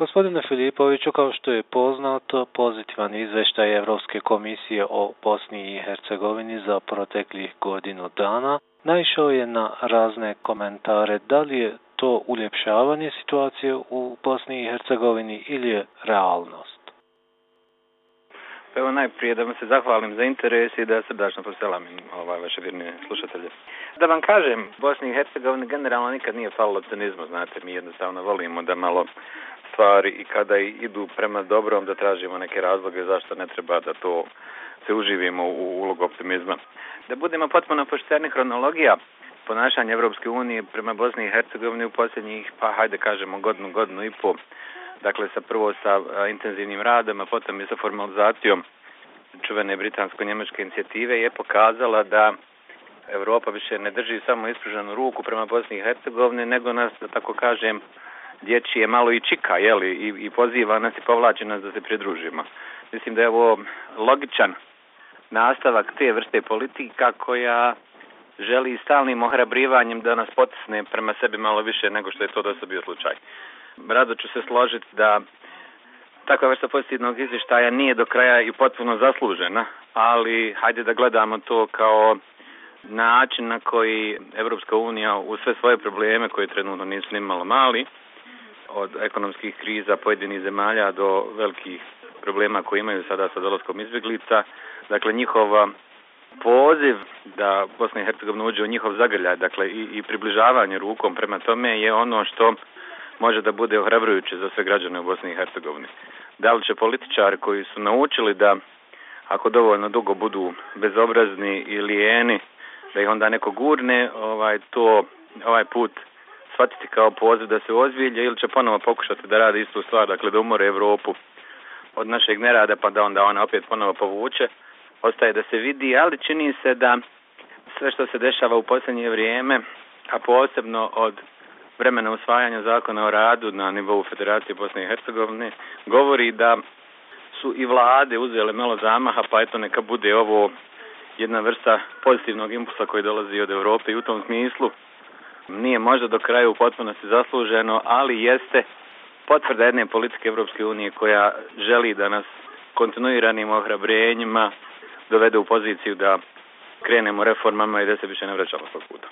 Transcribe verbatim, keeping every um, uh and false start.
Gospodine Filipoviću, kao što je poznato, pozitivan izveštaj Evropske komisije o Bosni i Hercegovini za proteklih godinu dana naišao je na razne komentare. Da li je to uljepšavanje situacije u Bosni i Hercegovini ili je realnost? Evo najprije da vam se zahvalim za interes i da srdačno poselamim ovaj, vaše vjerne slušatelje. Da vam kažem, Bosni i Hercegovini generalno nikad nije falilo cinizmu, znate, mi jednostavno volimo da malo stvari i kada idu prema dobrom da tražimo neke razloge zašto ne treba da to se uživimo u ulogu optimizma. Da budemo potpuno pošteni, hronologija ponašanja Evropske unije prema Bosni i Hercegovini u posljednjih, pa hajde kažemo godinu, godinu i pol, dakle sa prvo sa a, intenzivnim radom, a potom i sa formalizacijom čuvene britansko-njemačke inicijative je pokazala da Europa više ne drži samo ispruženu ruku prema Bosni i Hercegovini, nego nas, da tako kažem, dječije malo i čika, jeli, i, i poziva nas i povlači nas da se pridružimo. Mislim da je ovo logičan nastavak te vrste politika koja želi stalnim ohrabrivanjem da nas potisne prema sebi malo više nego što je to do sada bio slučaj. Rado ću se složiti da takva vrsta pozitivnog izvještaja nije do kraja i potpuno zaslužena, ali hajde da gledamo to kao način na koji Evropska unija u sve svoje probleme koje trenutno nisu ni malo mali, od ekonomskih kriza pojedinih zemalja do velikih problema koje imaju sada sa dolaskom izbjeglica. Dakle, njihova poziv da Bosna i Hercegovina uđe u njihov zagrljaj, dakle i, i približavanje rukom prema tome je ono što može da bude ohrabrujuće za sve građane u Bosni i Hercegovini. Da li će političari koji su naučili da ako dovoljno dugo budu bezobrazni i lijeni, da ih onda neko gurne, ovaj, to, ovaj put shvatiti kao poziv da se ozbilje ili će ponovo pokušati da rade istu stvar, dakle da umore Evropu od našeg nerada pa da onda ona opet ponovo povuče, ostaje da se vidi, ali čini se da sve što se dešava u posljednje vrijeme, a posebno od vremena usvajanja zakona o radu na nivou Federacije Bosne i Hercegovine, govori da su i vlade uzele malo zamaha, pa eto neka bude ovo jedna vrsta pozitivnog impulsa koji dolazi od Europe i u tom smislu nije možda do kraja u potpunosti zasluženo, ali jeste potvrda jedne politike Evropske unije koja želi da nas kontinuiranim ohrabrenjima dovede u poziciju da krenemo reformama i da se više ne vraćamo svog puta.